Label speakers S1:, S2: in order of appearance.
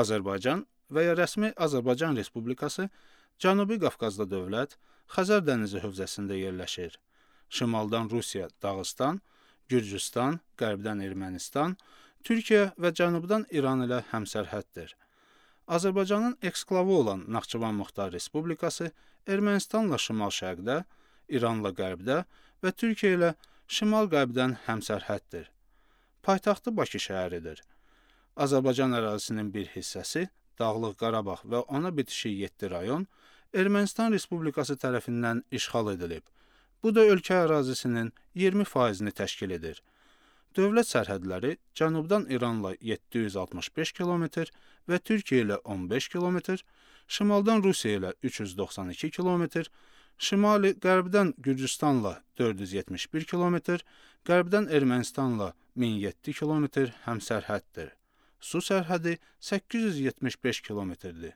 S1: Azərbaycan və ya rəsmi Azərbaycan Respublikası Cənubi Qafqazda dövlət, Xəzər dənizi hövzəsində yerləşir. Şimaldan Rusiya, Dağıstan, Gürcüstan, qərbdən Ermənistan, Türkiyə və cənubdan İran ilə həmsərhəddir. Azərbaycanın eksklavı olan Naxçıvan Muxtar Respublikası Ermənistanla şimal-şərqdə, İranla qərbdə və Türkiyə ilə şimal-qərbdən həmsərhəddir. Paytaxtı Bakı şəhəridir. Azərbaycan ərazisinin bir hissəsi, Dağlıq Qarabağ və ona bitişik 7 rayon Ermənistan Respublikası tərəfindən işğal edilib. Bu da ölkə ərazisinin 20%-ni təşkil edir. Dövlət sərhədləri cənubdan İranla 765 km və Türkiyə ilə 15 km, şimaldan Rusiya ilə 392 km, şimali qərbdən Gürcüstanla 471 km, qərbdən Ermənistanla 1007 km həmsərhəddir. Su sərhədi 875 km-dir.